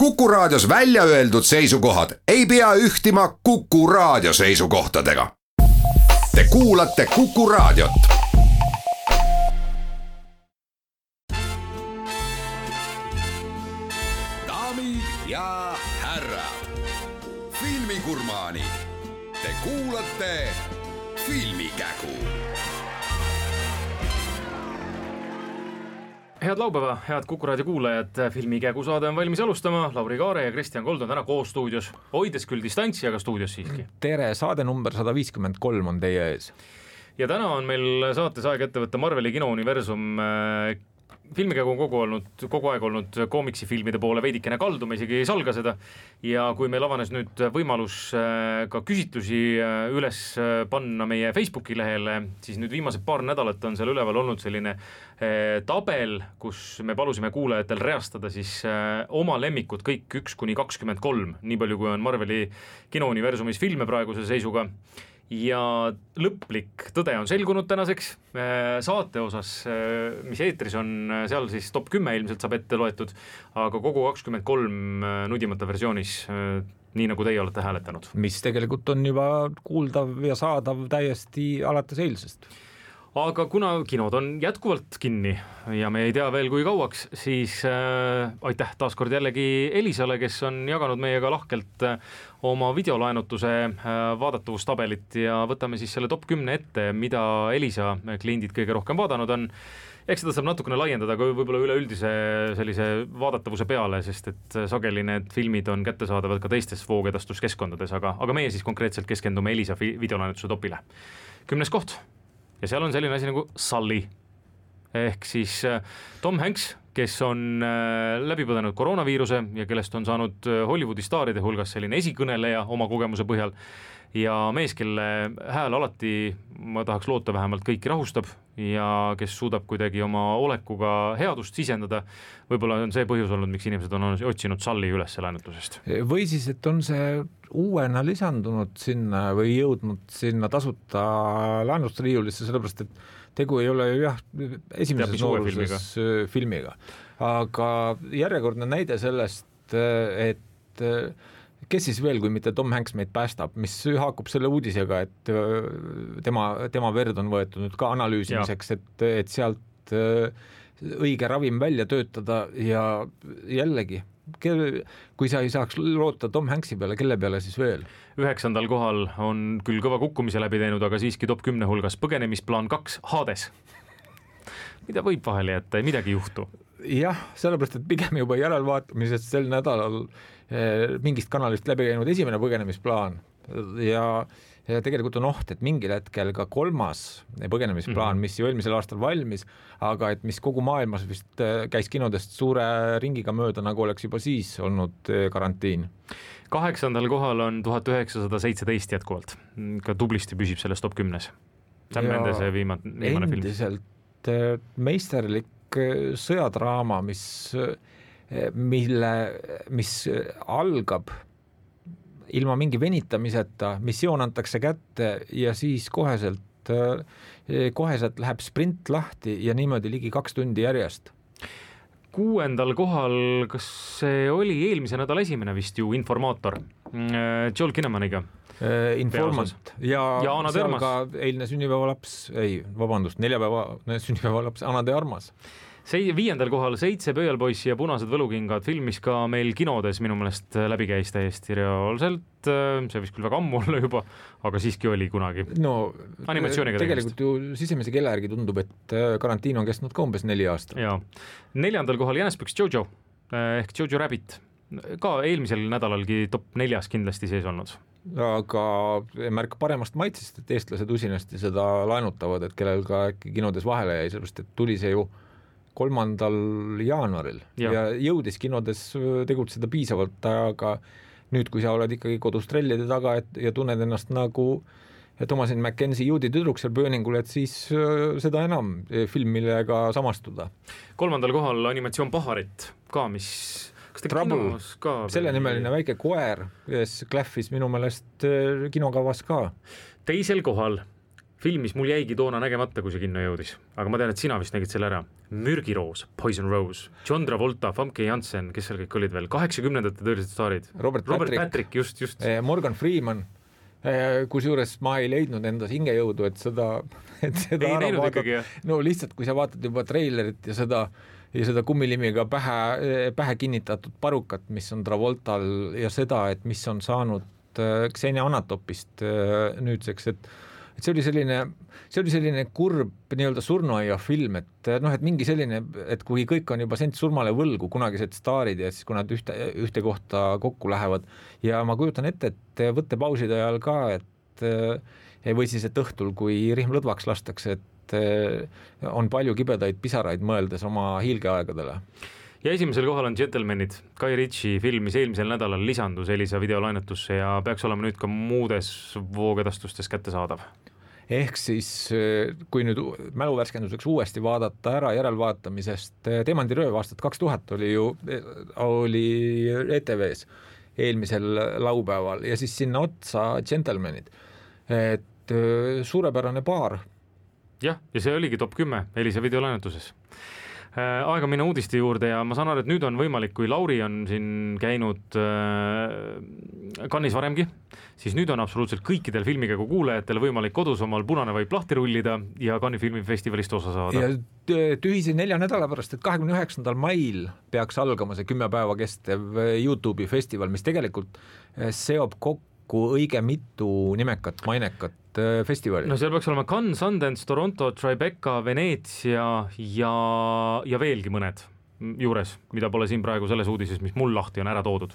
Kuku Raadios välja öeldud seisukohad ei pea ühtima Kuku Raadio seisukohtadega. Te kuulate Kuku Raadiot. Daamid ja härrad, filmigurmaanid, te kuulate Filmikägu. Head laupäeva, head Kuku Raadio kuulajad, Filmikägu saade on valmis alustama. Lauri Kaare ja Kristjan Kold on täna koos stuudios, hoides küll distantsi, aga stuudios siiski. Tere, saade number 153 on teie ees. Ja täna on meil saates aeg ette võtta Marveli kinouniversum. Filmikägu on kogu aeg olnud koomiksifilmide poole veidikene kaldu, me isegi ei salga seda. Ja kui meil avanes nüüd võimalus ka küsitlusi üles panna meie Facebooki lehele, siis nüüd viimased paar nädalat on seal üleval olnud selline tabel, kus me palusime kuulajatel reastada siis oma lemmikud kõik 1-23, nii palju kui on Marveli kinouniversumis filme praeguse seisuga. Ja lõplik tõde on selgunud tänaseks saate osas, mis eetris on, seal siis top 10 ilmselt saab ette loetud, aga kogu 23 nudimata versioonis, nii nagu teie olete hääletanud. Mis tegelikult on juba kuuldav ja saadav täiesti alates eilsest. Aga kuna kinod on jätkuvalt kinni ja me ei tea veel kui kauaks, siis aitäh taaskord jällegi Elisale, kes on jaganud meiega lahkelt oma videolaenutuse vaadatavustabelit ja võtame siis selle top 10 ette, mida Elisa kliendid kõige rohkem vaadanud on. Eks seda saab natukene laiendada ka võib-olla üleüldise sellise vaadatavuse peale, sest et sageli need filmid on kättesaadavad ka teistes voogedastuskeskkondades, aga meie siis konkreetselt keskendume Elisa videolaenutuse topile. 10. koht. Ja seal on selline asi nagu Sully, ehk siis Tom Hanks, kes on läbipõdenud koroonaviiruse ja kellest on saanud Hollywoodi staaride hulgas selline esikõneleja oma kogemuse põhjal ja mees, kelle hääl alati, ma tahaks loota vähemalt, kõiki rahustab ja kes suudab kuidagi oma olekuga headust sisendada. Võib-olla on see põhjus olnud, miks inimesed on otsinud Sully üles laenutusest. Või siis, et on see uuena lisandunud sinna või jõudnud sinna tasuta laenusriiulisse, sellepärast et tegu ei ole ju esimeses nooruses filmiga. Aga järjekordne näide sellest, et kes siis veel, kui mitte Tom Hanks meid päästab, mis haakub selle uudisega, et tema verd on võetud nüüd ka analüüsimiseks, et sealt õige ravim välja töötada ja jällegi, kui sa ei saaks loota Tom Hanksi peale, kelle peale siis veel? 9. kohal on küll kõva kukkumise läbi teinud, aga siiski top 10 hulgas Põgenemisplaan 2 Hades. Mida võib vahele jätta, midagi ei juhtu? Jah, sellepärast, et pigem juba järelvaatamisest sel nädalal mingist kanalist läbi käinud esimene Põgenemisplaan ja tegelikult on oht, et mingil hetkel ka 3. Põgenemisplaan, mis ju eelmisel aastal valmis, aga et mis kogu maailmas vist käis kinodest suure ringiga mööda, nagu oleks juba siis olnud karantiin. 8. kohal on 1917 jätkuvalt, ka tublisti püsib selles top 10. Sam Mendese viimane film. Endiselt meisterlik sõjadraama, mis algab ilma mingi venitamiseta, missioon antakse kätte ja siis koheselt läheb sprint lahti ja niimoodi ligi 2 tundi järjest. 6. kohal, kas see oli eelmise nädala esimene vist ju Informaator Joel Kinnemaniga? Informant ja Ana de Armas. Ka eilne neljapäeva sünnipäevalaps Ana de Armas. 5. kohal 7 Pöialpoissi ja Punased võlukingad, film, mis ka meil kinodes minu meelest läbi käis täiesti reaalselt, see vist küll väga ammu olla juba, aga siiski oli kunagi. No, animatsiooniga tegelikult ju sisemise kella järgi tundub, et karantiin on kestnud ka umbes 4 aastat. Ja. 4. kohal Jänespüks Jojo ehk Jojo Rabbit, ka eelmisel nädalalgi top 4 kindlasti sees olnud. Aga märk paremast maitsest, et eestlased usinasti seda laenutavad, et kellel ka kinodes vahele jäi, sellepärast et tuli see ju 3. jaanuaril ja jõudis kinodes tegutseda piisavalt, aga nüüd, kui sa oled ikkagi kodus trellide taga ja tunned ennast nagu Thomasin McKenzie juudi tüdruk seal pööningul, et siis seda enam film, millega samastuda. 3. kohal animatsioon Paharit ka, mis Trouble, selle nimeline väike koer, kes klähvis minu meelest kinokavas ka. 2. kohal film, mis mul jäigi toona nägemata, kui see kinno jõudis, aga ma tean, et sina vist nägid selle ära. Mürgiroos, Poison Rose, John Travolta, Famke Janssen, kes seal kõik olid veel, 80-ndate tõelised staarid. Robert Patrick, just. Morgan Freeman, kusjuures ma ei leidnud endas hingejõudu, et seda ei näinud ikkagi, jah? No lihtsalt, kui sa vaatad juba treilerit ja seda kummilimiga pähe kinnitatud parukat, mis on Travoltal ja seda, et mis on saanud Xenia Anatopist nüüdseks, et see oli selline kurb nii-öelda surnuaia film, et mingi selline, et kui kõik on juba sent surmale võlgu, kunagised staarid ja siis kui nad ühte kohta kokku lähevad ja ma kujutan ette, et võttepauside ajal ka, et või siis, et õhtul, kui rihm lõdvaks lastakse, et on palju kibedaid pisaraid mõeldes oma hiilgeaegadele. Ja esimesel kohal on Gentlemanid, Guy Ritchie film, mis eelmisel nädalal lisandus Elisa videolaenetusse ja peaks olema nüüd ka muudes voogedastustes kättesaadav. Ehk siis, kui nüüd mäluvärskenduseks uuesti vaadata ära järelvaatamisest, Teemandirööv aastat 2000 oli ETV-s eelmisel laupäeval ja siis sinna otsa Gentlemanid, et suurepärane paar. Jah, ja see oligi top 10 Elisa videolaenetuses. Aega minna uudiste juurde ja ma saan aru, et nüüd on võimalik, kui Lauri on siin käinud Cannes'is varemgi, siis nüüd on absoluutselt kõikidel filmikäigu kuulajatel võimalik kodus omal punane vaip lahti rullida ja Cannes'i filmifestivalist osa saada. Ja tühise 4 nädala pärast, et 29. mail peaks algama see 10 päeva kestev YouTube'i festival, mis tegelikult seob kokku õige mitu nimekat, mainekat festivali. No seal peaks olema Cannes, Sundance, Toronto, Tribeca, Veneetsia ja veelgi mõned juures, mida pole siin praegu selles uudises, mis mul lahti on ära toodud.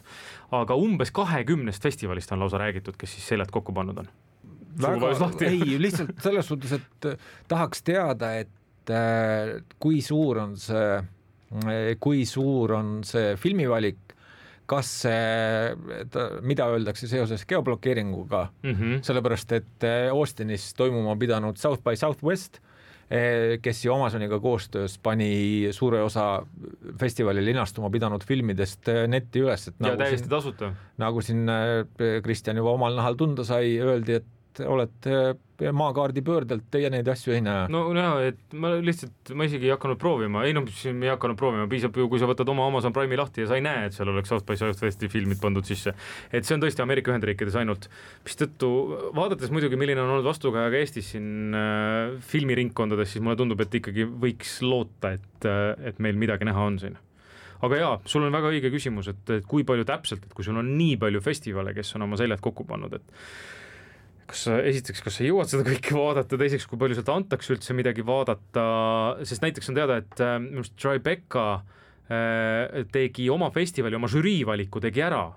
Aga umbes 20 festivalist on lausa räägitud, kes siis seljad kokku pannud on. Ei, lihtsalt selles suhtes, et tahaks teada, et kui suur on see filmivalik, kas mida öeldakse seoses geoblokeeringuga, sellepärast, et Austinis toimuma pidanud South by Southwest, kes ju Amazoniga koostöös pani suure osa festivali linastuma pidanud filmidest netti üles. Et ja täiesti tasuta. Nagu siin Kristjan juba omal nahal tunda sai, öeldi, et olete maakaardi pöördelt, teie neid asju ei näe. No et ma isegi ei hakanud proovima, ei hakanud proovima, piisab ju, kui sa võtad oma Amazon Prime'i lahti ja sa ei näe, et seal oleks South by Southwesti filmid pandud sisse. Et see on tõesti Ameerika Ühendriikides ainult. Mistõttu, vaadates muidugi, milline on olnud vastukaja ka Eestis siin filmiringkondades, siis mulle tundub, et ikkagi võiks loota, et meil midagi näha on siin. Aga jaa, sul on väga õige küsimus, et kui palju täpselt, et kui sul on nii palju festivale, kes on oma seljad kokku pannud, et kas sa jõuad seda kõike vaadata, teiseks, kui palju sealt antakse üldse midagi vaadata, sest näiteks on teada, et Tribeca tegi oma festivali, oma žüriivaliku tegi ära,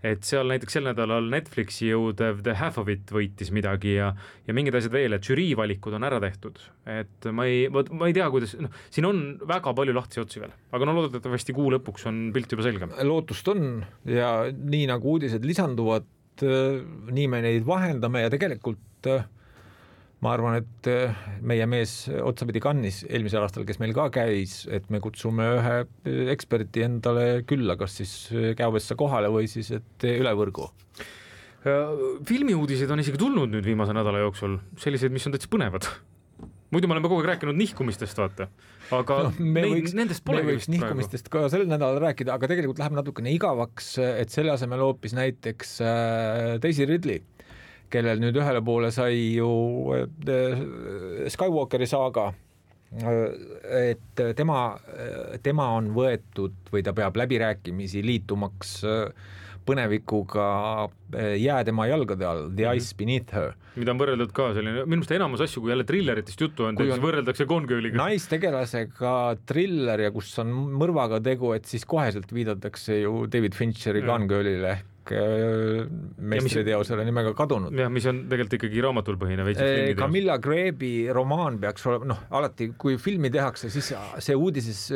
et seal näiteks sel nädalal Netflixi jõudev The Half of It võitis midagi ja mingid asjad veel, et žüriivalikud on ära tehtud, et ma ei tea, kuidas, siin on väga palju lahtisi otsi veel, aga loodetavasti kuu lõpuks on pilt juba selgem. Lootust on ja nii nagu uudised lisanduvad, nii me neid vahendame ja tegelikult ma arvan, et meie mees otsapidi Cannes'is eelmisel aastal, kes meil ka käis, et me kutsume ühe eksperti endale külla, kas siis Käovessa kohale või siis et üle võrgu. Filmiuudised on isegi tulnud nüüd viimase nädala jooksul, sellised, mis on täitsa põnevad. Muidu me oleme kogu aeg rääkinud nihkumistest, vaata. Aga nendest pole me võiks nihkumistest ka sel nädalal rääkida, aga tegelikult läheb natukene igavaks, et selle asemel hoopis näiteks Daisy Ridley, kellel nüüd ühele poole sai ju Skywalkeri saaga, et tema on võetud või ta peab läbirääkimisi liitumaks põnevikuga jää tema jalgade all, The Ice Beneath Her. Mida on võrreldud ka selline, minu meelest enamus asju, kui jälle trilleritest juttu on, siis võrreldakse Gone Girliga. Naistegelasega triller ja kus on mõrvaga tegu, et siis koheselt viidatakse ju David Fincheri Gone Girlile ehk meistriteosele nimega Kadunud. Ja mis on tegelikult ikkagi raamatul põhine veitsi. Camilla Greebi romaan peaks olema, alati kui filmi tehakse, siis see uudises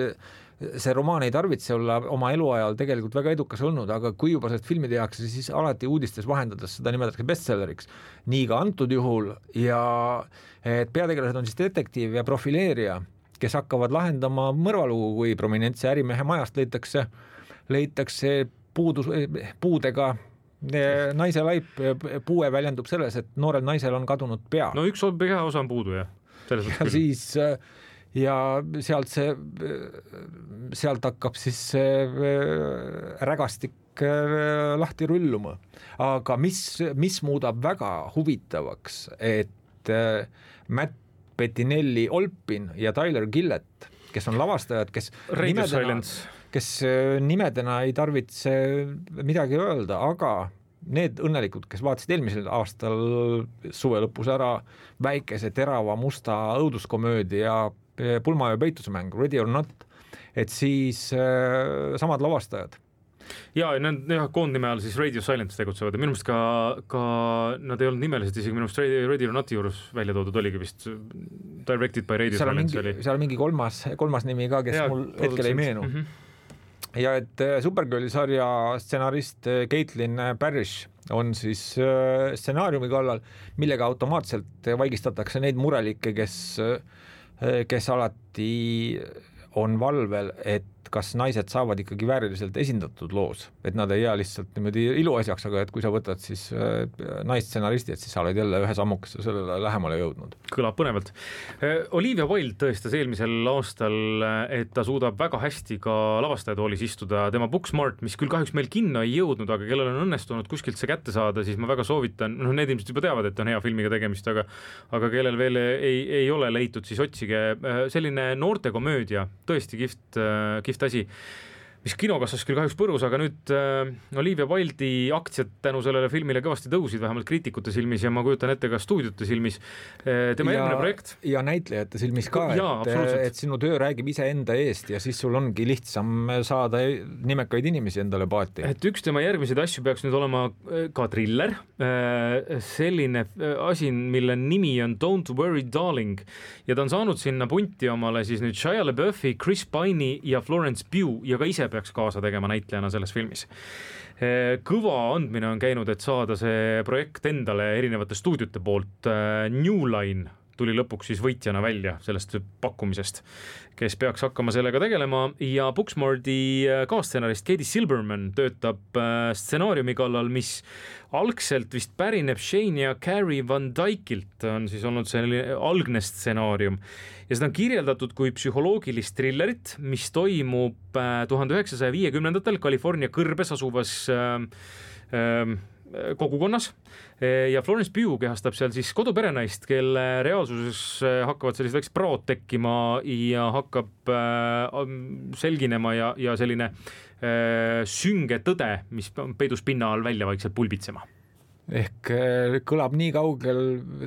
see romaan ei tarvitse olla oma eluajal tegelikult väga edukas olnud, aga kui juba sellest filmi tehakse, siis alati uudistes vahendades seda nimetatakse bestselleriks. Nii ka antud juhul ja et peategelased on siis detektiiv ja profileerija, kes hakkavad lahendama mõrvalugu, kui prominentse ärimehe majast leitakse puudega naise laip puue väljendub selles, et noorel naisel on kadunud pea. No üks pea osa on puudu, jah. Ja siis ja sealt hakkab siis rägastik lahti rulluma. Aga mis muudab väga huvitavaks, et Matt Bettinelli Olpin ja Tyler Gillett, kes on lavastajad, kes nimedena ei tarvitse midagi öelda, aga need õnnelikud, kes vaatasid eelmisel aastal suve lõpus ära väikese terava musta õuduskomöödia Pulma ja peitusmäng, Ready or Not, et siis samad lavastajad. Ja need koondnime all siis Radio Silence tegutsevad ja minu meelest ka nad ei olnud nimelised, isegi minu meelest Radio or Noti juures välja toodud oligi vist Directed by Radio Silence oli. Seal on mingi kolmas nimi ka, kes mul hetkel ei meenu. Ja et Supergirli sarja stsenarist Caitlin Parrish on siis stsenaariumi kallal, millega automaatselt vaigistatakse neid murelikke, kes alati on valvel, et kas naised saavad ikkagi vääriliselt esindatud loos, et nad ei jää lihtsalt niimoodi iluasjaks, aga et kui sa võtad siis naistsenaristi, et siis sa oled jälle ühe sammukesse sellele lähemale jõudnud. Kõlab põnevalt. Olivia Wilde tõestas eelmisel aastal, et ta suudab väga hästi ka lavastajatoolis istuda. Tema Booksmart, mis küll kahjuks meil kinno ei jõudnud, aga kellel on õnnestunud kuskilt see kätte saada, siis ma väga soovitan, need ilmselt juba teavad, et on hea filmiga tegemist, aga kellel veel ei ole leitud, siis otsige selline noortekomöödia, tõesti kihvt asi, mis kinokassas küll kahjuks põrus, aga nüüd Olivia Wilde'i aktsiad tänu sellele filmile kõvasti tõusid, vähemalt kriitikute silmis ja ma kujutan ette ka stuudiote silmis. Tema järgmine projekt. Ja näitlejate silmis ka, et sinu töö räägib ise enda eest ja siis sul ongi lihtsam saada nimekaid inimesi endale paati. Et üks tema järgmiseid asju peaks nüüd olema ka thriller, selline asi, mille nimi on Don't Worry Darling ja ta on saanud sinna punti omale siis nüüd Shia LaBeoufi, Chris Pine'i ja Florence Pugh ja ka ise peaks kaasa tegema näitlejana selles filmis. Kõva andmine on käinud, et saada see projekt endale erinevate stuudiote poolt. New Line tuli lõpuks siis võitjana välja sellest pakkumisest, kes peaks hakkama sellega tegelema ja Booksmarti kaasstsenarist Katie Silberman töötab stsenaariumi kallal, mis algselt vist pärineb Shane ja Carrie Van Dykilt, on siis olnud selline algne stsenaarium ja seda on kirjeldatud kui psühholoogilist thrillerit, mis toimub 1950-ndatel California kõrbes asuvas kogukonnas ja Florence Pugh kehastab seal siis koduperenaist, kelle reaalsuses hakkavad sellised väiksed praod tekkima ja hakkab selginema ja selline sünge tõde, mis peidus pinna all välja vaikselt pulbitsema. Ehk kõlab nii kaugel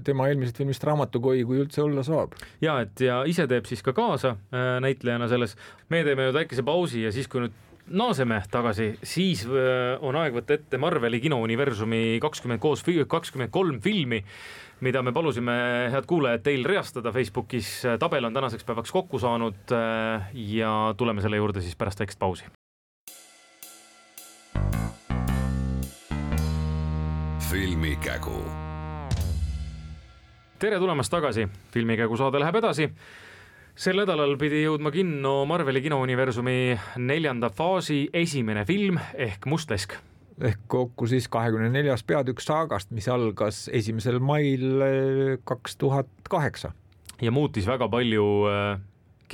tema eelmisest filmist Raamatukoi, kui üldse olla saab. Ja ise teeb siis ka kaasa näitlejana selles. Me teeme ju väikese pausi ja siis kui nüüd naaseme tagasi, siis on aeg võtta ette Marveli kinouniversumi 23 filmi, mida me palusime, head kuulajad, teil reastada Facebookis. Tabel on tänaseks päevaks kokku saanud ja tuleme selle juurde siis pärast väikest pausi. Filmikägu. Tere tulemast tagasi. Filmikägu saade läheb edasi. Sel nädalal pidi jõudma kinno Marveli kinouniversumi 4. faasi esimene film ehk Mustlesk. Ehk kokku siis 24. peatükk saagast, mis algas 1. mail 2008. Ja muutis väga palju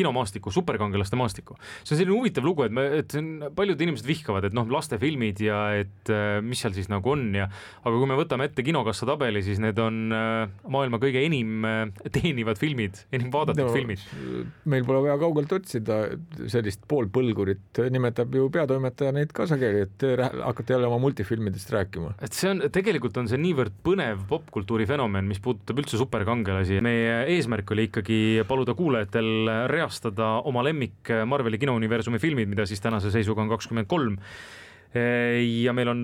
kinomaastikku, superkangelaste maastikku. See on selline huvitav lugu, et paljud inimesed vihkavad, et lastefilmid ja et mis seal siis nagu on aga kui me võtame ette kinokassa tabeli, siis need on maailma kõige enim teenivad filmid, enim vaadatud filmid. Meil pole vaja kaugelt otsida sellist poolpõlgurit, nimetab ju peatoimetaja neid kaasakeli, et hakkate jälle oma multifilmidest rääkima. Et tegelikult on see niivõrd põnev popkultuuri fenomen, mis puudutab üldse superkangelasi. Meie eesmärk oli ikkagi paluda kuulajatel reastada oma lemmik Marveli kinouniversumi filmid, mida siis tänase seisuga on 23. Ja meil on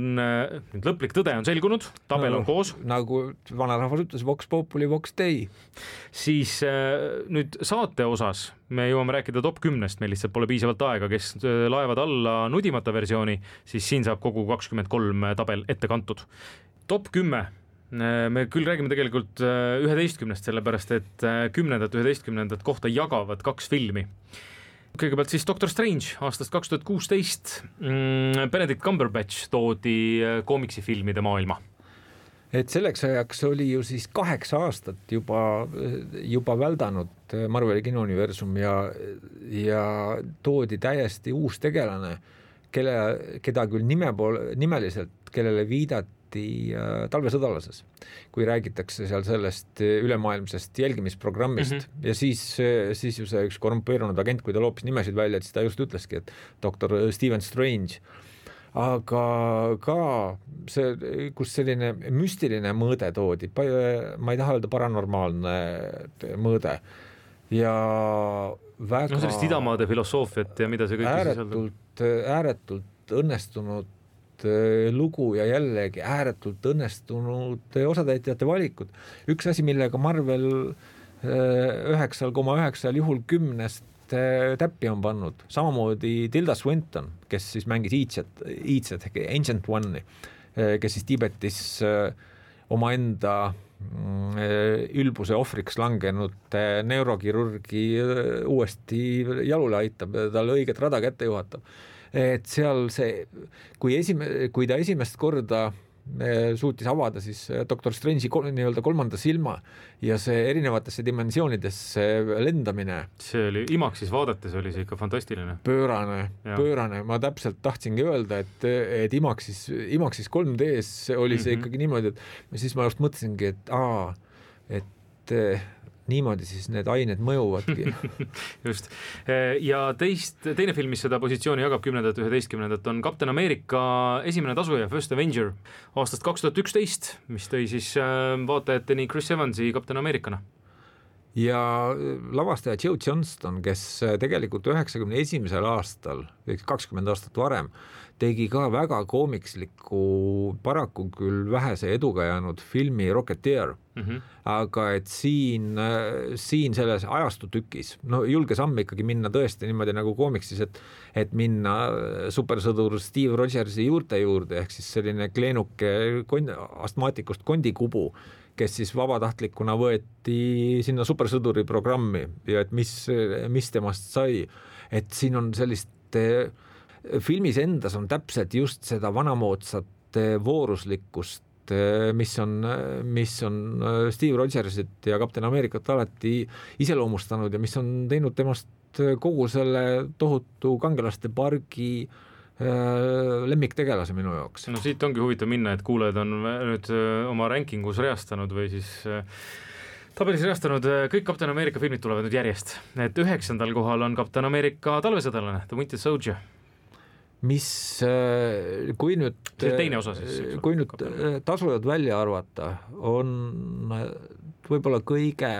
lõplik tõde on selgunud, tabel on koos. Nagu vanarahvas ütles, Vox Populi, Vox Dei. Siis nüüd saate osas me jõuame rääkida top 10-st, meil lihtsalt pole piisavalt aega, kes laevad alla nudimata versiooni, siis siin saab kogu 23 tabel ette kantud. Top 10. Me küll räägime tegelikult 11-st, sellepärast et 10. 11. kohta jagavad 2 filmi. Kõigepealt siis Doctor Strange aastast 2016. Benedict Cumberbatch toodi koomiksifilmide maailma. Et selleks ajaks oli ju siis 8 aastat juba väldanud Marveli kinouniversum ja toodi täiesti uus tegelane, keda küll nimeliselt, kellele viidati talvesõdalases, kui räägitakse seal sellest ülemaailmsest jälgimisprogrammist ja siis ju see üks korrumpeerunud agent, kui ta loopis nimesid välja, et siis ta just ütleski, et Dr. Stephen Strange. Aga ka see, kus selline müstiline mõõde toodi, ma ei taha öelda paranormaalne mõõde ja väga sellest idamaade filosoofiat ja mida see kõik ääretult õnnestunud lugu ja jällegi ääretult õnnestunud osatäitjate valikud. Üks asi, millega Marvel 9,9 juhul 10 täppi on pannud, samamoodi Tilda Swinton, kes siis mängis Iitset, Ancient One'i, kes siis Tiibetis omaenda ülbuse ohvriks langenud neurokirurgi uuesti jalule aitab, talle õiget rada kätte juhatab. Et seal see, kui ta esimest korda suutis avada siis Dr. Strange'i nii-öelda kolmanda silma ja see erinevatesse dimensioonidesse lendamine. See oli Imaxis vaadates oli see ikka fantastiline. Pöörane. Ma täpselt tahtsingi öelda, et Imaxis 3Ds oli see ikkagi niimoodi, et siis ma just mõtlesingi, et niimoodi siis need ained mõjuvadki. Just. Ja teine film, mis seda positsiooni jagab 10. 11. on Captain America esimene tasuja First Avenger aastast 2011, mis tõi siis vaatajateni Chris Evansi Captain Americana. Ja lavastaja Joe Johnston, kes tegelikult 91. aastal, 20 aastat varem, tegi ka väga koomiksliku, paraku küll vähese eduga jäänud filmi Rocketeer. Aga et siin selles ajastutükis, julge samm ikkagi minna tõesti niimoodi nagu koomiksis, et minna supersõdur Steve Rogersi juurde, ehk siis selline kleenuke astmaatikust kondikubu, kes siis vabatahtlikuna võeti sinna supersõduri programmi ja et mis temast sai. Et siin on sellist, filmis endas on täpselt just seda vanamoodsat vooruslikkust, mis on Steve Rogersit ja Captain Americat alati iseloomustanud ja mis on teinud temast kogu selle tohutu kangelaste pargi lemmiktegelase minu jaoks. No siit ongi huvitav minna, et kuulajad on nüüd oma rankingus reastanud või siis tabelis reastanud, kõik Captain America filmid tulevad nüüd järjest. Et 9. kohal on Captain America talvesõdalane, The Winter Soldier. Kui nüüd teine osa siis, kui nüüd tasujad välja arvata, on võib-olla kõige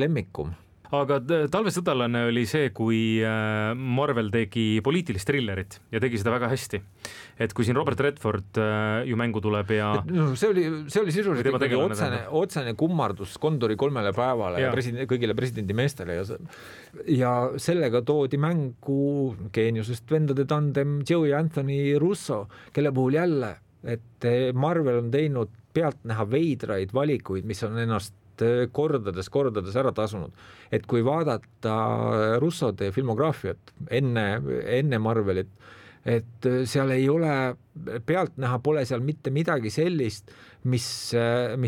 lemmikum. Aga talvesõdalane oli see, kui Marvel tegi poliitilist thrillerit ja tegi seda väga hästi. Et kui siin Robert Redford ju mängu tuleb ja see oli sisuliselt ikkagi otsene kummardus Kondori 3 päevale ja kõigile presidendi meestele ja sellega toodi mängu geeniusest vendade tandem Joe ja Anthony Russo, kelle puhul jälle, et Marvel on teinud pealtnäha veidraid valikuid, mis on ennast kordades ära tasunud. Et kui vaadata Russode filmograafiat enne Marvelit, et seal ei ole, pealtnäha pole seal mitte midagi sellist, mis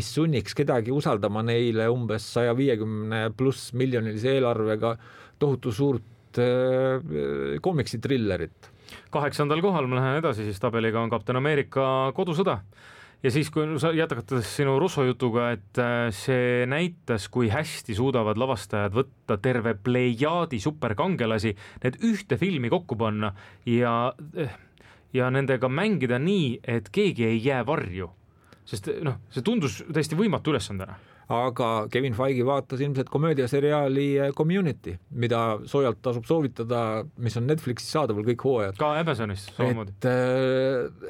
sunniks kedagi usaldama neile umbes 150+ miljonilise eelarvega tohutu suurt koomiksitrillerit. 8. kohal ma lähen edasi siis tabeliga on Captain America kodusõda. Ja siis, kui sa jätkates sinu Russo jutuga, et see näitas, kui hästi suudavad lavastajad võtta terve plejaadi superkangelasi, need ühte filmi kokku panna ja nendega mängida nii, et keegi ei jää varju. Sest see tundus täiesti võimatu ülesandena. Aga Kevin Feige vaatas ilmselt komöödiaseriaali Community, mida soojalt tasub soovitada, mis on Netflixis saadaval kõik hooajad. Ka Amazonis samamoodi.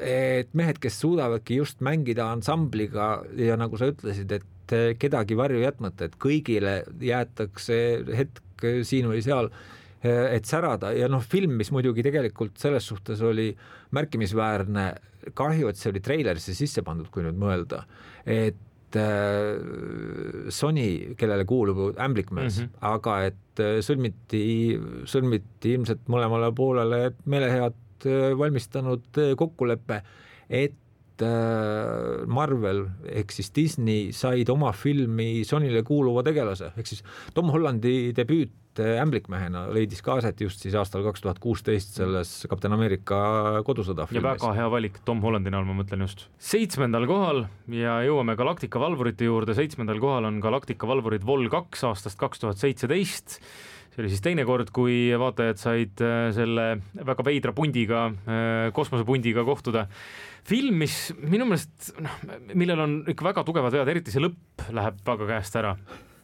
Et mehed, kes suudavadki just mängida ansambliga ja nagu sa ütlesid, et kedagi varju jätmata, et kõigile jäetakse hetk siin või seal, et särada ja film, mis muidugi tegelikult selles suhtes oli märkimisväärne, kahju, et see oli treilerisse sisse pandud, kui nüüd mõelda, et Sony, kellele kuulub Amblikmäes, aga et sõlmiti ilmselt mõlemale poolele meelehead valmistanud kokkulepe, et Marvel ehk siis Disney said oma filmi Sonyle kuuluva tegelase, ehk siis Tom Hollandi debüüt Ämblikmehena leidis ka aset just siis aastal 2016 selles Kapten Ameerika kodusõda filmis. Ja väga hea valik Tom Hollandi näol, ma mõtlen just. 7. kohal ja jõuame Galactica valvurite juurde. 7. kohal on Galactica valvurid Vol 2 aastast 2017. See oli siis teine kord, kui vaatajad said selle väga veidra pundiga, kosmosepundiga kohtuda. Film, mis minu meelest, millel on ikka väga tugevad vead, eriti see lõpp läheb väga käest ära.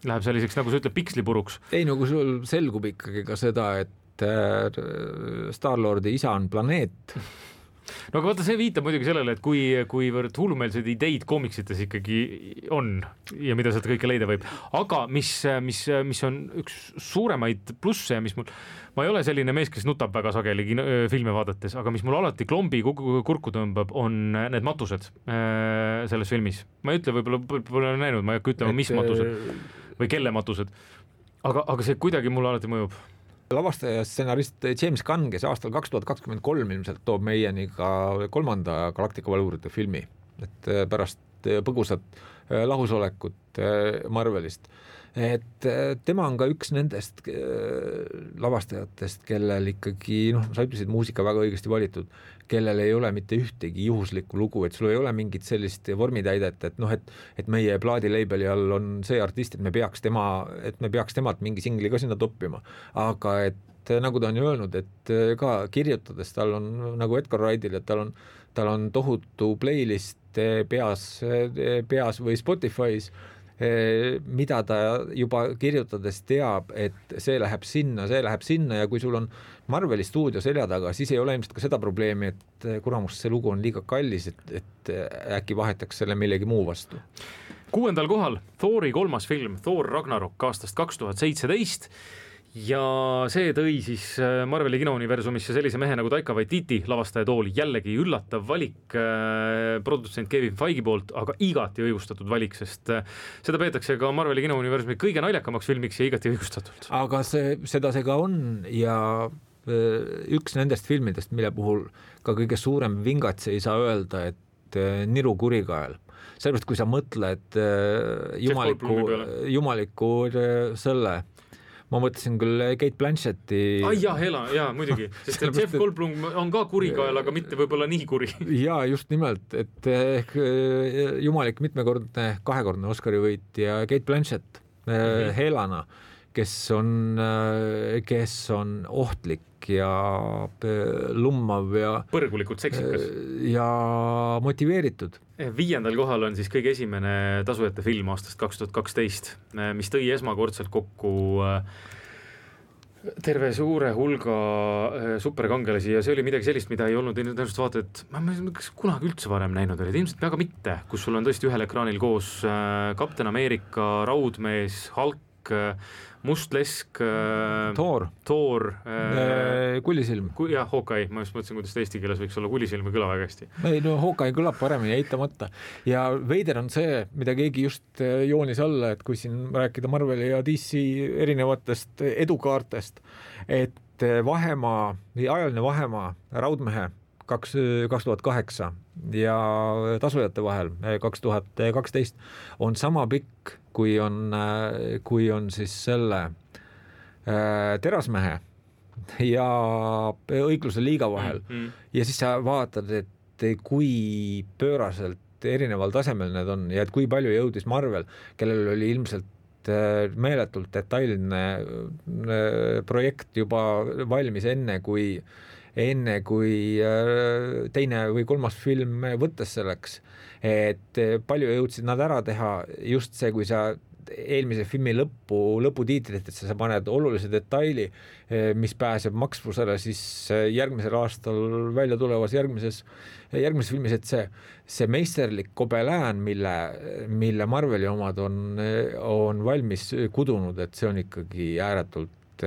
Läheb selliseks, nagu sa ütleb, pikslipuruks. Ei, no kui sul selgub ikkagi ka seda, et Star-Lordi isa on planeet. No aga vaata, see viitab muidugi sellele, et kuivõrd hullumeelseid ideid koomiksites ikkagi on ja mida sealt kõike leida võib. Aga mis on üks suuremaid plusse ja ma ei ole selline mees, kes nutab väga sageli filme vaadates, aga mis mul alati klombi kurku tõmbab, on need matused selles filmis. Ma ei ütle, võib-olla näinud, ma ei hakka ütlema, mis matused või kelle matused, aga see kuidagi mulle alati mõjub. Lavastaja ja stsenarist James Gunn, kes aastal 2023 ilmselt toob meieni ka 3. Galactica valvurite filmi, et pärast põgusat lahusolekut Marvelist. Et tema on ka üks nendest lavastajatest, kellel ikkagi, sa ütlesid, muusika väga õigesti valitud, kellel ei ole mitte ühtegi juhuslikku lugu, et sul ei ole mingit sellist vormitäidet, et meie plaadileibeli all on see artist, et me peaks temalt mingi singli ka sinna toppima. Aga et nagu ta on ju öelnud, et ka kirjutades tal on, nagu Edgar Wrightil, et tal on tohutu playlist peas või Spotify's, mida ta juba kirjutades teab, et see läheb sinna ja kui sul on Marveli stuudio selja taga, siis ei ole ilmselt ka seda probleemi, et kuramus, see lugu on liiga kallis, et äkki vahetaks selle millegi muu vastu. 6. kohal Thori 3. film Thor Ragnarok aastast 2017 ja see tõi siis Marveli kinouniversumisse sellise mehe nagu Taika Waititi lavastaja tooli, jällegi üllatav valik produtsent Kevin Feige poolt, aga igati õigustatud valik, sest seda peetakse ka Marveli kinouniversumi kõige naljakamaks filmiks ja igati õigustatult. Aga seda see ka on ja üks nendest filmidest, mille puhul ka kõige suurem vingats ei saa öelda, et niru kurikael. Sellepärast, kui sa mõtled jumaliku selle, ma mõtlesin küll Kate Blanchetti. Jaa, muidugi. Sest Jeff Goldblum on ka kurikael, aga mitte võib-olla nii kuri. Jaa, just nimelt, et jumalik mitmekordne, 2-kordne Oscari võitja Kate Blanchett Helana, kes on ohtlik ja lummav ja põrgulikult seksikas ja motiveeritud. 5. kohal on siis kõige esimene tasujate film aastast 2012, mis tõi esmakordselt kokku terve suure hulga superkangelasi ja see oli midagi sellist, mida ei olnud tõenäoliselt vaata, et ma kas kunagi üldse varem näinud olid, ilmselt väga mitte, kus sul on tõesti ühel ekraanil koos Kapten Ameerika, Raudmees, Hulk, Mustlesk, Thor, Kulisilm. Jah, Hawkeye, ma just mõtlesin, kuidas ta eesti keeles võiks olla, Kulisilm ei kõla väga hästi. Ei, no Hawkeye kõlab paremini, eitamata. Ja veider on see, mida keegi just joonis alla, et kui siin rääkida Marveli ja DC erinevatest edukaartest, et ajaline vahemaa Raudmehe 2008 ja tasujate vahel 2012 on sama pikk, kui on siis selle Terasmehe ja Õigluse liiga vahel. Ja siis sa vaatad, et kui pööraselt erineval tasemel need on ja et kui palju jõudis Marvel, kellel oli ilmselt meeletult detailne projekt juba valmis enne kui teine või 3. film võttes selleks, et palju jõudsid nad ära teha, just see, kui sa eelmise filmi lõputiitrit, et sa paned olulise detaili, mis pääseb maksvusele siis järgmisel aastal välja tulevas järgmises filmis, et see meisterlik kobelään, mille Marveli omad on valmis kudunud, et see on ikkagi ääretult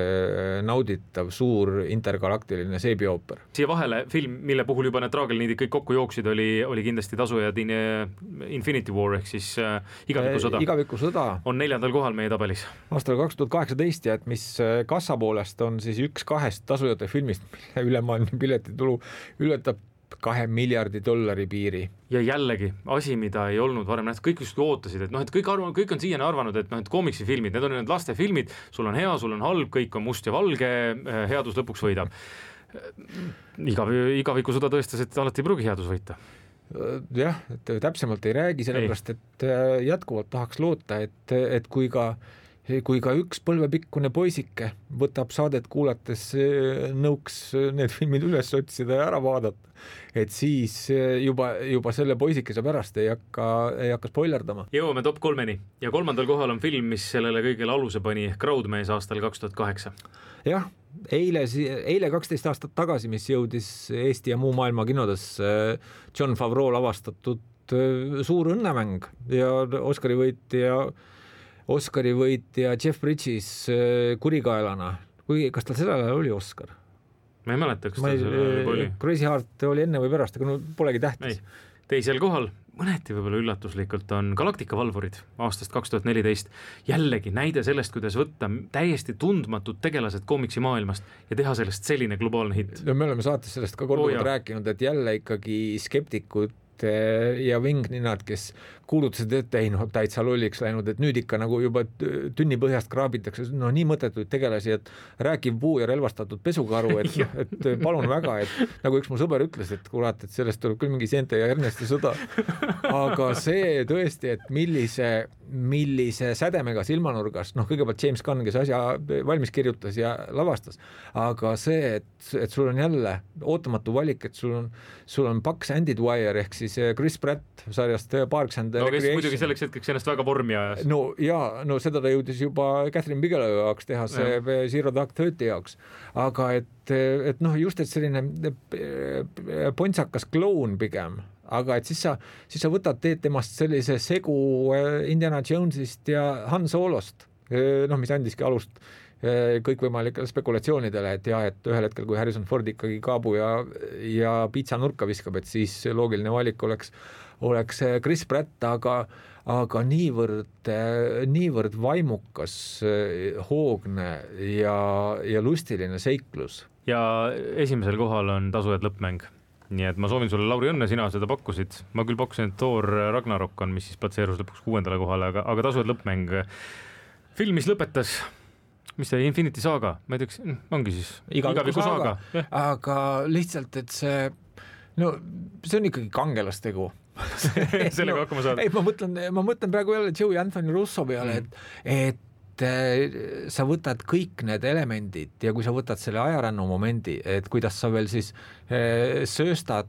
nauditav suur intergalaktiline seebiooper. Siia vahele film, mille puhul juba need traagelniidid kõik kokku jooksid, oli kindlasti tasujad Infinity War ehk siis igavikusõda on 4. kohal meie tabelis. Aastal 2018 ja et mis kassa poolest on siis üks 2 tasujate filmist, mille ülemaailmne piletitulu ületab $2 miljardi piiri. Ja jällegi asi, mida ei olnud varem nähtud, kõik just ootasid, et noh, et kõik on siiani arvanud, et noh, et koomiksifilmid, need on need lastefilmid, sul on hea, sul on halb, kõik on must ja valge, headus lõpuks võidab. Igavikusõda tõestas, et alati ei pruugi headus võita. Jah, et täpsemalt ei räägi, sellepärast, et jätkuvalt tahaks loota, et kui ka üks põlvepikkune poisike võtab saadet kuulates nõuks need filmid üles otsida ja ära vaadata, et siis juba selle poisikese pärast ei hakka spoilerdama. Jõuame top 3-ni ja 3. kohal on film, mis sellele kõigele aluse pani Crowdmees aastal 2008. Jah, eile 12 aastat tagasi, mis jõudis Eesti ja muu maailma kinodes John Favreau lavastatud suur õnnemäng ja Oscari võitja Jeff Bridges kurikaelana. Kas tal sellele oli Oscar? Ma ei mäleta, kas tal sellele oli. Crazy Heart oli enne või pärast, aga polegi tähtis. Teisel kohal, mõneti võib-olla üllatuslikult, on Galactica Valvurid aastast 2014. Jällegi näide sellest, kuidas võtta täiesti tundmatud tegelased koomiksi maailmast ja teha sellest selline globaalne hitt. No, me oleme saates sellest ka korduvalt rääkinud, et jälle ikkagi skeptikud ja vingninad, kes kuulutasid, et ei täitsa lolliks läinud, et nüüd ikka nagu juba tünni põhjast kraabitakse, nii mõttetuid tegelasi, et rääkiv puu ja relvastatud pesukaru, et palun väga, et nagu üks mu sõber ütles, et kurat, et sellest tuleb küll mingi seente ja Ernesti sõda, aga see tõesti, et millise sädemega silmanurgas, kõigepealt James Gunn, kes asja valmis kirjutas ja lavastas, aga see, et sul on jälle ootamatu valik, et sul on Bucks and Dwyer ehk siis Chris Pratt sarjast Parks and kes muidugi selleks hetkeks ennast väga vormi ajas. No seda ta jõudis juba Catherine Bigelow jaoks teha see Zero Dark 30 jaoks, aga et just et selline pontsakas kloun pigem, aga et siis sa võtad, teed temast sellise segu Indiana Jonesist ja Han Solost, mis andiski alust kõikvõimalikele spekulatsioonidele, et et ühel hetkel, kui Harrison Ford ikkagi kaabu ja piitsa nurka viskab, et siis loogiline valik oleks Chris Pratt, aga niivõrd vaimukas, hoogne ja lustiline seiklus. Ja esimesel kohal on Tasujad lõppmäng. Nii et ma soovin sulle, Lauri, õnne, sina seda pakkusid. Ma küll pakkusin, et Thor Ragnarok on, mis siis platseerus lõpuks 6. kohale, aga Tasujad lõppmäng. Film, mis lõpetas, mis see Infinity Saga, ma ei teaks, ongi siis igaviku saaga. Aga lihtsalt, et see on ikkagi kangelastegu. Sellega hakkama saada. Ei, ma mõtlen praegu jälle Joey Anthony Russo peale, et sa võtad kõik need elemendid ja kui sa võtad selle ajarännu momendi, et kuidas sa veel siis sööstad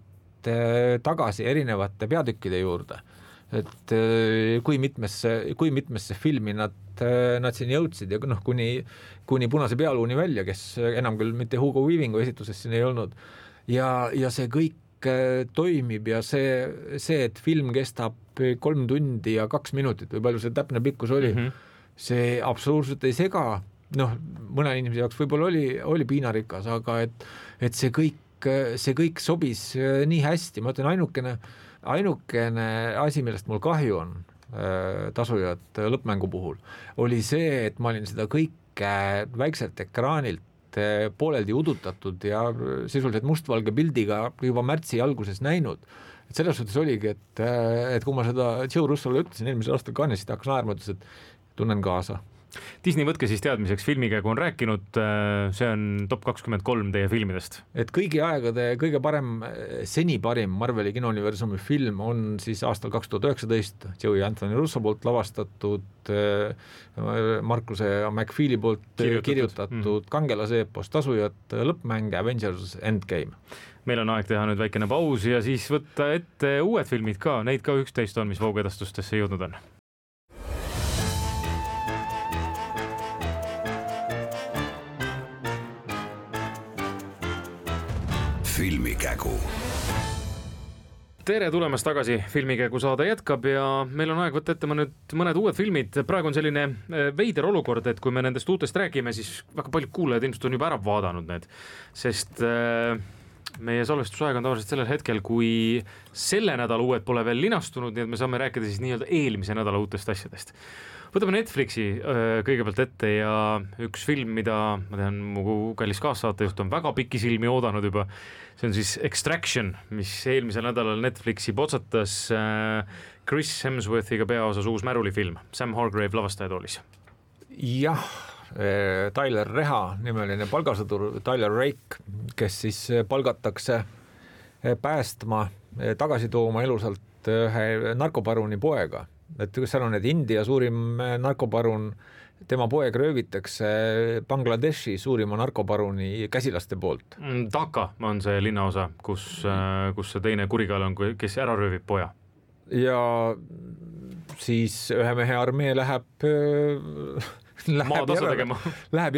tagasi erinevate peatükkide juurde, et kui mitmesse filmi nad siin jõudsid ja kuni Punase pealuuni välja, kes enam küll mitte Hugo Weavingu esituses siin ei olnud ja see kõik toimib ja see, et film kestab 3 tundi ja 2 minutit või palju see täpne pikkus oli, see absoluutselt ei sega, mõne inimese jaoks võib-olla oli piinarikas, aga et see kõik sobis nii hästi, ma ütlen, ainukene asi, millest mul kahju on Tasujad lõppmängu puhul, oli see, et ma olin seda kõike väikselt ekraanilt pooleldi udutatud ja sisuliselt mustvalge pildiga juba märtsi alguses näinud. Et selles suhtes oligi, et kui ma seda Joe Russole ütlesin eelmisel aastal Cannes'ist, hakkas naerma, ütles, et tunnen kaasa. Disney võtke siis teadmiseks, filmikäigu on rääkinud, see on top 23 teie filmidest. Et kõigi aegade kõige seni parim Marveli kinouniversumi film on siis aastal 2019 Joey Anthony Russo poolt lavastatud, Markuse McFeely poolt kirjutatud kangelaseepos Tasujad lõppmäng Avengers Endgame. Meil on aeg teha nüüd väikene paus ja siis võtta ette uued filmid ka, neid ka 11 on, mis voogedastustesse jõudnud on. Filmikägu. Tere tulemast tagasi, Filmikäigu saade jätkab ja meil on aeg võtta ette mõned uued filmid. Praegu on selline veider olukord, et kui me nendest uutest räägime, siis väga paljud kuulajad ilmselt on juba ära vaadanud need, sest meie salvestusaeg on tavaliselt sellel hetkel, kui selle nädala uued pole veel linastunud, nii et me saame rääkida siis nii-öelda eelmise nädala uutest asjadest. Võtame Netflixi kõigepealt ette ja üks film, mida ma tean, mu kallis kaassaatejuht on väga pikisilmi oodanud juba. See on siis Extraction, mis eelmisel nädalal Netflixi potsatas Chris Hemsworthiga peaosas uus märulifilm. Sam Hargrave lavastajatoolis. Jah, Tyler Reha nimeline palgasõdur Tyler Rake, kes siis palgatakse päästma, tagasi tooma elusalt ühe narkoparuni poega. Et seal on India suurim narkoparun, tema poeg röövitakse Bangladeshi suurima narkoparuni käsilaste poolt. Dhaka on see linnaosa, kus see teine kurikael on, kes ära röövib poja. Ja siis ühe mehe armee läheb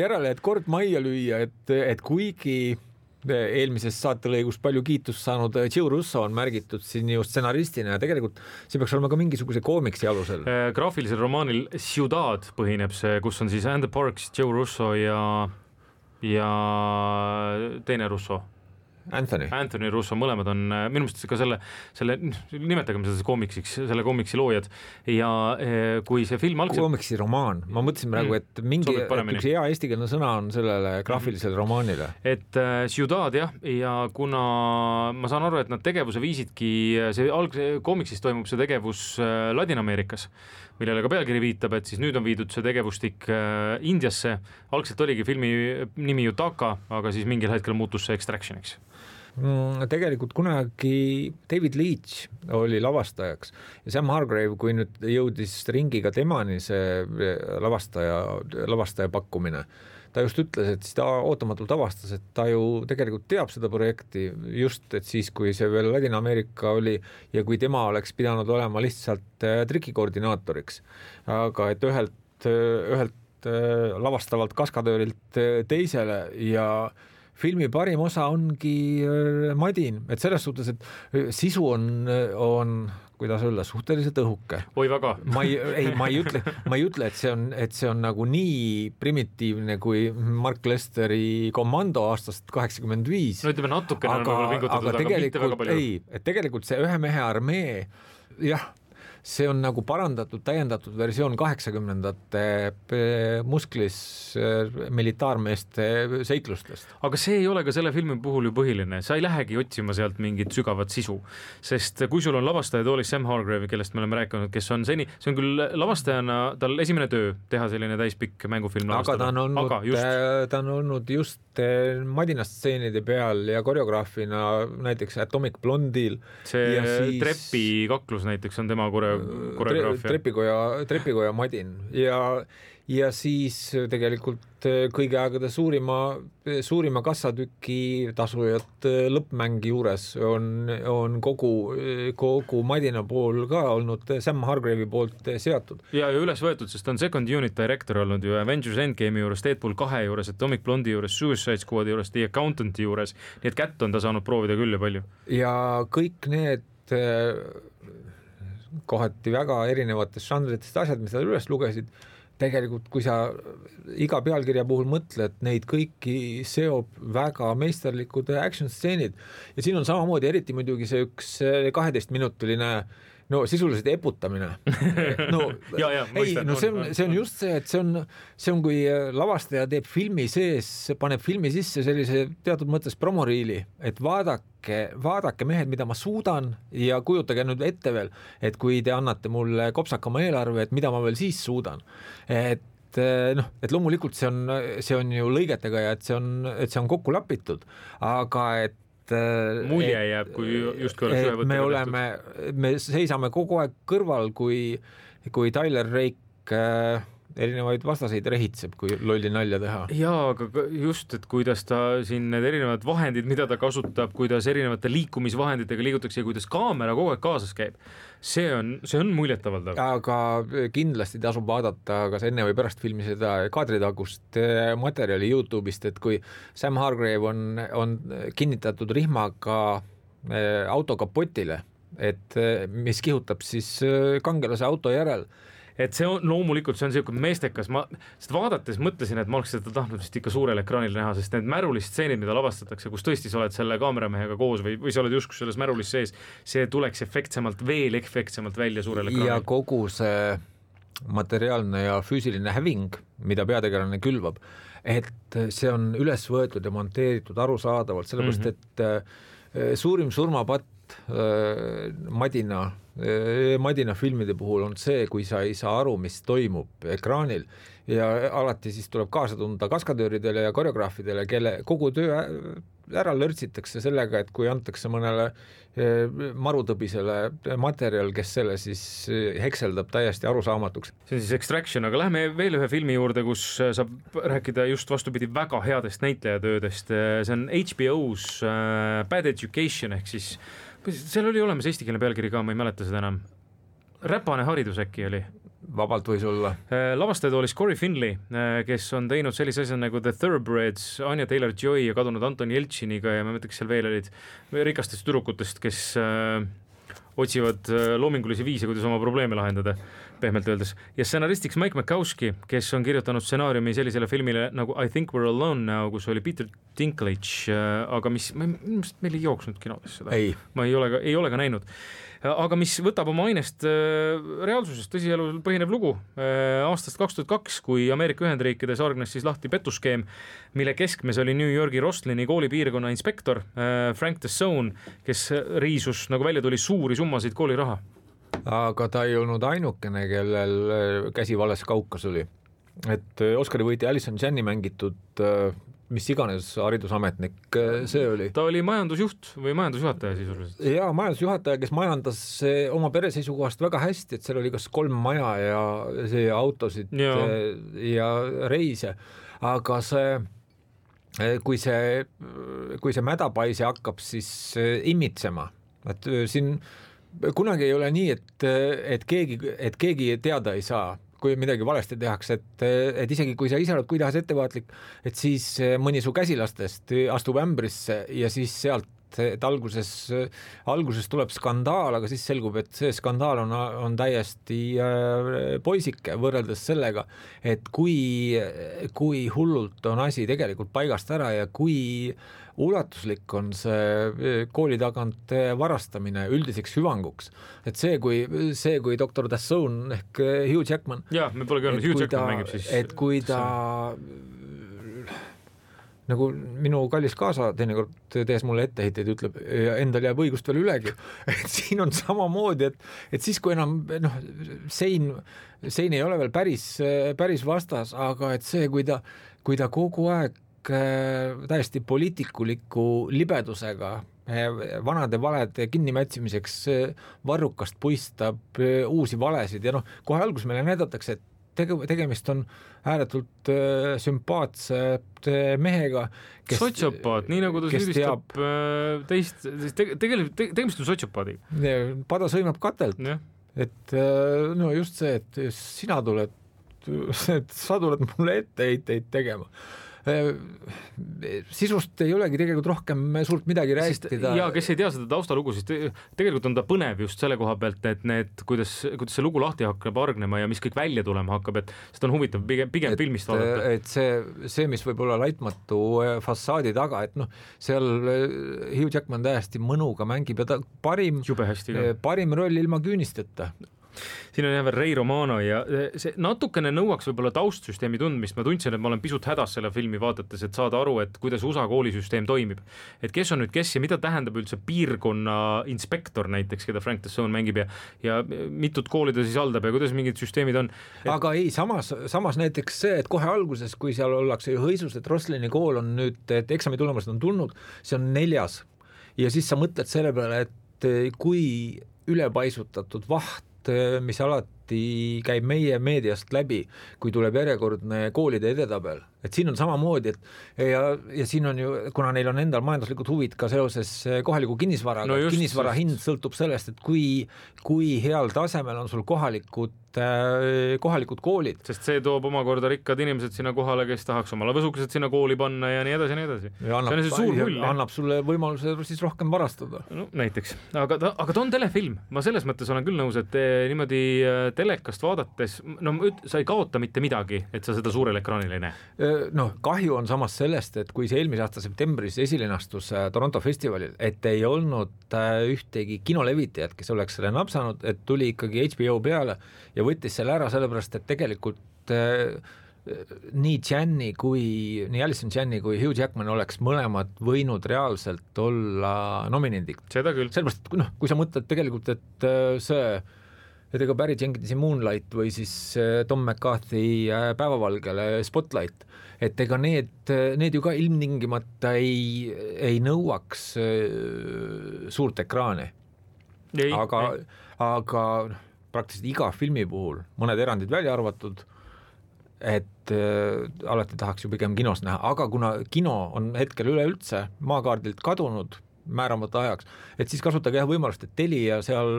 järele, et kord majja lüüa, et kuigi eelmises saatelõigus palju kiitust saanud Joe Russo on märgitud siin ju stsenaristina ja tegelikult see peaks olema ka mingisuguse koomiksi alusel. Graafilisel romaanil Ciudad põhineb see, kus on siis Andy Parks, Joe Russo ja teine Russo. Anthony Russo, mõlemad on minu meelest ka selle nimetagem seda koomiksiks, selle koomiksi loojad ja kui see film algselt... Koomiksi romaan, ma mõtlesin praegu, et üks hea eestikeelne sõna on sellele graafilisele romaanile. Et Ciudad jah, ja kuna ma saan aru, et nad tegevuse viisidki, see koomiksist toimub see tegevus Ladina-Ameerikas, millele ka pealkiri viitab, et siis nüüd on viidud see tegevustik Indiasse, algselt oligi filmi nimi ju Dhaka, aga siis mingil hetkel muutus see Extractioniks. Tegelikult kunagi David Leitch oli lavastajaks ja Sam Hargrave, kui nüüd jõudis ringiga temani see lavastaja pakkumine, ta just ütles, et siis ta ootamatult avastas, et ta ju tegelikult teab seda projekti just, et siis kui see veel Ladina-Ameerika oli ja kui tema oleks pidanud olema lihtsalt trikikoordinaatoriks, aga et ühelt lavastavalt kaskadöörilt teisele ja filmi parim osa ongi madin, et selles suhtes, et sisu on kuidas öelda, suhteliselt õhuke. Oi väga. Ma ei ütle, et see on nagu nii primitiivne kui Mark Lesteri Commando aastast 85. No ütleme natukene on võib-olla pingutatud, aga mitte väga palju. Ei, et tegelikult see ühe mehe armee, jah, see on nagu parandatud, täiendatud versioon 80-ndate musklis militaarmeeste seiklustest. Aga see ei ole ka selle filmi puhul ju põhiline, sa ei lähegi otsima sealt mingit sügavat sisu, sest kui sul on lavastajatoolis Sam Hargrave, kellest me oleme rääkinud, kes on seni, see on küll lavastajana tal esimene töö teha selline täispikk mängufilm lavastada. Aga ta on olnud just madinastseenide peal ja koreograafina näiteks Atomic Blonde'il. See trepi kaklus näiteks on tema trepikoja madin ja siis tegelikult kõigi aegade suurima kassatüki tasujat lõppmäng juures on kogu madina pool ka olnud Sam Hargrave'i poolt seatud. Ja üles võetud, sest on second unit director olnud ju Avengers Endgame'i juures, Deadpool 2 juures, Atomic Blonde'i juures, Suicide Squad'i juures, The Accountant'i juures, nii et kätt on ta saanud proovida küll ja palju. Ja kõik need kohati väga erinevatest žanritest asjad, mis sa üles lugesid, tegelikult kui sa iga pealkirja puhul mõtled, neid kõiki seob väga meisterlikud action-stseenid ja siin on samamoodi eriti muidugi see üks 12-minutiline sisuliselt eputamine. See on just see, et see on kui lavastaja teeb filmi sees, paneb filmi sisse sellise teatud mõttes promoriili, et vaadake mehed, mida ma suudan ja kujutage nüüd ette veel, et kui te annate mulle kopsakama eelarve, et mida ma veel siis suudan. Et loomulikult see on ju lõigetega ja et see on kokku lapitud, aga et mulje jääb, kui justkui oleks ühe võttega me seisame kogu aeg kõrval, kui Tyler Rake erinevaid vastaseid rehitseb, kui lolli nalja teha. Jaa, aga just, et kuidas ta siin need erinevad vahendid, mida ta kasutab, kuidas erinevate liikumisvahenditega liigutakse ja kuidas kaamera kogu aeg kaasas käib, see on muljetavaldav. Aga kindlasti tasub vaadata kas enne või pärast filmi seda kaadritagust materjali YouTube'ist, et kui Sam Hargrave on kinnitatud rihmaga auto kapotile et mis kihutab siis kangelase auto järel. Et see on loomulikult, see on selline meestekas, ma seda vaadates mõtlesin, et ma oleks seda tahtnud vist ikka suurel ekraanil näha, sest need märulist-stseenid, mida lavastatakse, kus tõesti sa oled selle kaameramehega koos või sa oled justkui selles märulis sees, see tuleks veel efektsemalt välja suurel ekraanil. Ja kogu see materiaalne ja füüsiline häving, mida peategelane külvab, et see on üles võetud ja monteeritud arusaadavalt, sellepärast et suurim surmapatt Madina filmide puhul on see, kui sa ei saa aru, mis toimub ekraanil ja alati siis tuleb kaasa tunda kaskadööridele ja koreograafidele, kelle kogu töö ära lörtsitakse sellega, et kui antakse mõnele marutõbisele materjal, kes selle siis hekseldab täiesti arusaamatuks. See on siis Extraction, aga läheme veel ühe filmi juurde, kus saab rääkida just vastupidi väga headest näitlejatöödest. See on HBO's Bad Education ehk siis seal oli olemas eestikeelne pealkiri ka, ma ei mäleta seda enam. Räpane haridus äkki oli. Vabalt võis olla. Lavastajad oli Corey Finley, kes on teinud sellise asja nagu The Thoroughbreds, Anya Taylor-Joy ja kadunud Anton Jeltšiniga ja ma mõtleks seal veel olid rikastest tüdrukutest, kes otsivad loomingulisi viise, kuidas oma probleeme lahendada, pehmelt öeldes. Ja stsenaristiks Mike Makowski, kes on kirjutanud stsenaariumi sellisele filmile nagu I Think We're Alone Now, kus oli Peter Dinklage, aga mis meil ei jooksnud kinodes seda. Ma ei ole ka näinud. Aga mis võtab oma ainest reaalsusest tõsielul põhinev lugu aastast 2002, kui Ameerika Ühendriikides argnes siis lahti petuskeem, mille keskmes oli New Yorgi Rosslini koolipiirkonna inspektor Frank Tassone, kes riisus, nagu välja tuli, suuri summasid kooliraha. Aga ta ei olnud ainukene, kellel käsi vales kaukas oli. Et Oscari võiti Alison Janney mängitud mis iganes haridusametnik see oli. Ta oli majandusjuht või majandusjuhataja sisuliselt. Jaa, majandusjuhataja, kes majandas oma pere seisukohast väga hästi, et seal oli kas 3 maja ja autosid ja reise. Aga kui see mädapaisi hakkab siis imitsema, et siin kunagi ei ole nii, et keegi teada ei saa, kui midagi valesti tehakse, et isegi kui sa ise oled kuidas ettevaatlik, et siis mõni su käsilastest astub ämbrisse ja siis sealt, et alguses tuleb skandaal, aga siis selgub, et see skandaal on täiesti poisike võrreldes sellega, et kui hullult on asi tegelikult paigast ära ja kui ulatuslik on see kooli tagant varastamine üldiseks hüvanguks. Et see, kui Dr. Tassone ehk Hugh Jackman, me pole öelnud, Hugh Jackman mängib siis. Et kui ta nagu minu kallis kaasa teinekord tees mulle etteheiteid, ütleb, ja endal jääb õigust veel ülegi. Et siin on samamoodi, et siis kui enam sein ei ole veel päris vastas, aga et see, kui ta kogu aeg täiesti poliitikuliku libedusega vanade valede kinnimätsimiseks varrukast puistab uusi valesid ja kohe alguses meile näidatakse, et tegemist on ääretult sümpaatse mehega, kes sotsiopaat, nii nagu ta süüdistab teist, tegemist on sotsiopaadiga. Pada sõimab katelt, et no just see, et sa tuled mulle etteheiteid tegema. Sisust ei olegi tegelikult rohkem suurt midagi rääkida. Ja kes ei tea seda taustalugu, siis tegelikult on ta põnev just selle koha pealt, et kuidas see lugu lahti hakkab argnema ja mis kõik välja tulema hakkab, et seda on huvitav pigem filmist vaadata. Et see, mis võib olla laitmatu fassaadi taga, et seal Hugh Jackman täiesti mõnuga mängib ja ta parim roll ilma küünisteta. Siin on veel Ray Romano ja see natukene nõuaks võib-olla taustsüsteemi tundmist. Ma tundsin, et ma olen pisut hädas selle filmi vaadates, et saada aru, et kuidas USA koolisüsteem toimib. Et kes on nüüd kes ja mida tähendab üldse piirkonna inspektor näiteks, keda Frank Tassone mängib ja mitut kooli ta siis haldab ja kuidas mingid süsteemid on. Aga ei, samas näiteks see, et kohe alguses, kui seal ollakse ju hõisus, et Roslini kool on nüüd, et eksami tulemused on tulnud, see on 4. Ja siis sa mõtled selle peale, et kui ülepaisutatud vaht, mis alati alati käib meie meediast läbi, kui tuleb järjekordne koolide edetabel, et siin on samamoodi, et ja siin on ju, kuna neil on endal majanduslikud huvid ka seoses kohaliku kinnisvaraga, kinnisvara hind sõltub sellest, et kui heal tasemel on sul kohalikud koolid. Sest see toob omakorda rikkad inimesed sinna kohale, kes tahaks omale võsukesed sinna kooli panna ja nii edasi ja nii edasi. Annab sulle võimaluse siis rohkem varastada. No, näiteks. Aga ta on telefilm. Ma selles mõttes olen küll nõus, et niimoodi telekast vaadates, no sa ei kaota mitte midagi, et sa seda suurel ekraanil ei näe. No, kahju on samas sellest, et kui see eelmise aasta septembris esilinastus Toronto festivalil, et ei olnud ühtegi kinolevitajat, kes oleks selle napsanud, et tuli ikkagi HBO peale ja võttis selle ära sellepärast, et tegelikult nii Allison Janney kui Hugh Jackman oleks mõlemad võinud reaalselt olla nominendik. Seda küll. Sellepärast, kui sa mõtled tegelikult, et ega Barry Jenkinsi Moonlight või siis Tom McCarthy Päevavalgele Spotlight, et ega need ju ka ilmtingimata ei nõuaks suurt ekraani. Aga praktiliselt iga filmi puhul, mõned erandid välja arvatud, et alati tahaks ju pigem kinos näha, aga kuna kino on hetkel üleüldse maakaardilt kadunud määramata ajaks, et siis kasutage võimalust, et Telia seal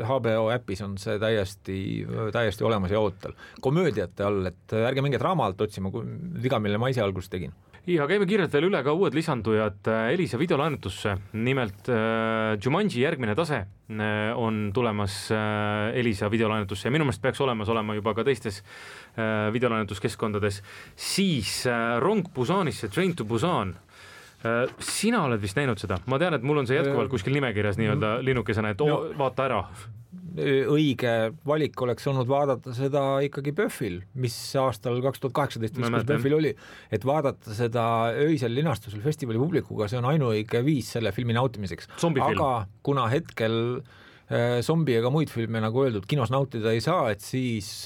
HBO äpis on see täiesti olemas ja ootel. Komöödiate all, et ärge minge draama alt otsima, viga, mille ma ise alguses tegin. Ja käime kiirelt veel üle ka uued lisandujad Elisa videolaenutusse. Nimelt Jumanji järgmine tase on tulemas Elisa videolaenutusse ja minu meelest peaks olema juba ka teistes videolaenutuskeskkondades. Siis Rong Busanisse, Train to Busan. Sina oled vist näinud seda? Ma tean, et mul on see jätkuvalt kuskil nimekirjas nii-öelda linnukesena, et vaata ära. Õige valik oleks olnud vaadata seda ikkagi Pöffil, mis aastal 2018 Pöffil oli, et vaadata seda öisel linastusel festivali publikuga, see on ainuõige viis selle filmi nautimiseks. Zombifilm. Aga kuna hetkel zombi ega muid filme, nagu öeldud, kinos nautida ei saa, et siis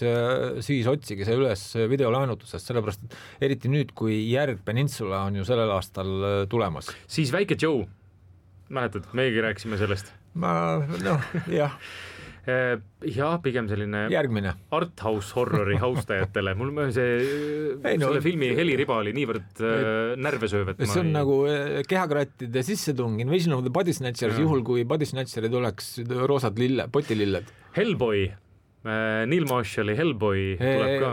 otsige see üles videolaenutusest, sellepärast et eriti nüüd, kui Järg Peninsula on ju sellel aastal tulemas. Siis Väike Joe, mäletad, meiegi rääkisime sellest. Jah. Ja pigem selline järgmine arthouse horrori haustajatele. Mul selle filmi heliriba oli niivõrd närvesööv, et see on nagu kehakrattide sissetung, Invasion of the Body Snatchers, juhul kui Body Snatcherid oleks roosad potililled. Hellboy, Neil Marshalli Hellboy tuleb ka.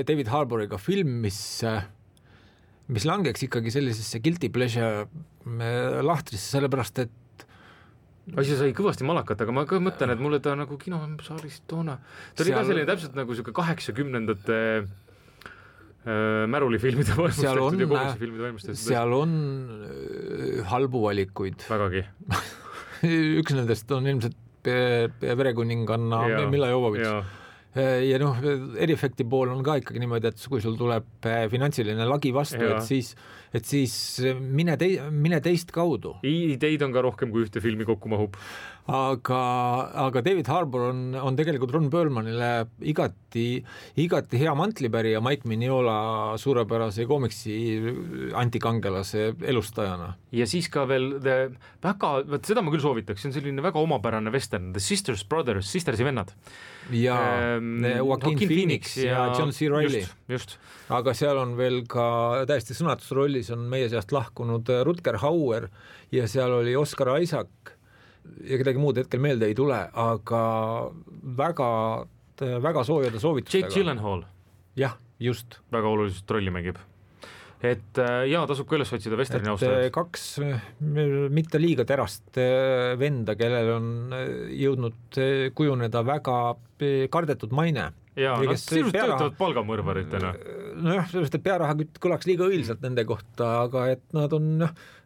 David Harboriga film, mis langeks ikkagi sellisesse guilty pleasure lahtrisse, sellepärast et asja sai kõvasti malakat, aga ma ka mõtlen, et mulle ta nagu kinosaalis toona. Ta oli ka selline täpselt nagu 80-ndate märulifilmide valmistatud ja kogumisfilmide valmistatud. Seal on halbu valikuid. Vägagi. Üks nendest on ilmselt Verekuninganna Milla Jovovitš. Ja eriefekti pool on ka ikkagi niimoodi, et kui sul tuleb finantsiline lagi vastu, et siis mine teist kaudu. Ideid on ka rohkem kui ühte filmi kokku mahub. Aga David Harbour on tegelikult Ron Perlmanile igati hea mantlipärija Mike Mignola suurepärase komiksi antikangelase elustajana. Ja siis ka veel seda ma küll soovitaks, see on selline väga omapärane western, The Sisters Brothers, sistersi vennad. Ja Joaquin Phoenix ja John C. Reilly. Just. Aga seal on veel ka täiesti sõnatusrollis on meie seast lahkunud Rutger Hauer ja seal oli Oscar Isaac ja kedagi muud hetkel meelde ei tule, aga väga soojade soovitustega. Jake Gyllenhaal. Jah, just. Väga oluliselt rolli mängib. Et tasub ka üles otsida Westerni austajad. Kaks mitte liiga terast venda, kellel on jõudnud kujuneda väga kardetud maine. Ja nad sirust töötavad palgamõrvaritena. Nojah, sellest, et pearahakütt kõlaks liiga õilsalt nende kohta, aga et nad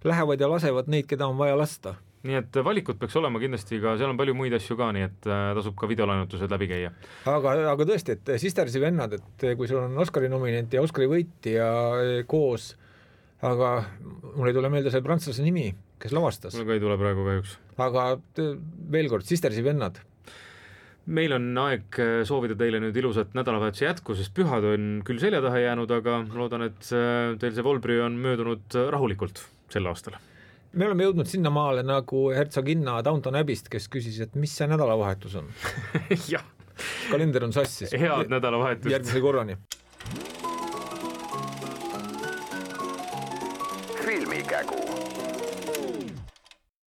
lähevad ja lasevad neid, keda on vaja lasta. Nii et valikud peaks olema kindlasti ka, seal on palju muid asju ka, nii et tasub ka videolaenutused läbi käia. Aga tõesti, et Sistersi vennad, et kui sul on Oscari nominent ja Oscari võitja koos, aga mul ei tule meelde see prantslase nimi, kes lavastas. Mul ka ei tule praegu kahjuks. Aga veel kord, Sistersi vennad. Meil on aeg soovida teile nüüd ilusat nädalavahetuse jätku, sest pühad on küll selja taha jäänud, aga loodan, et teil see Volbri on möödunud rahulikult sel aastal. Me oleme jõudnud sinna maale nagu hertsoginna Downton Abbey'st, kes küsis, et mis see nädalavahetus on. Jah. kalender on sassis. Head nädalavahetust. Järgmise korrani. Filmikägu.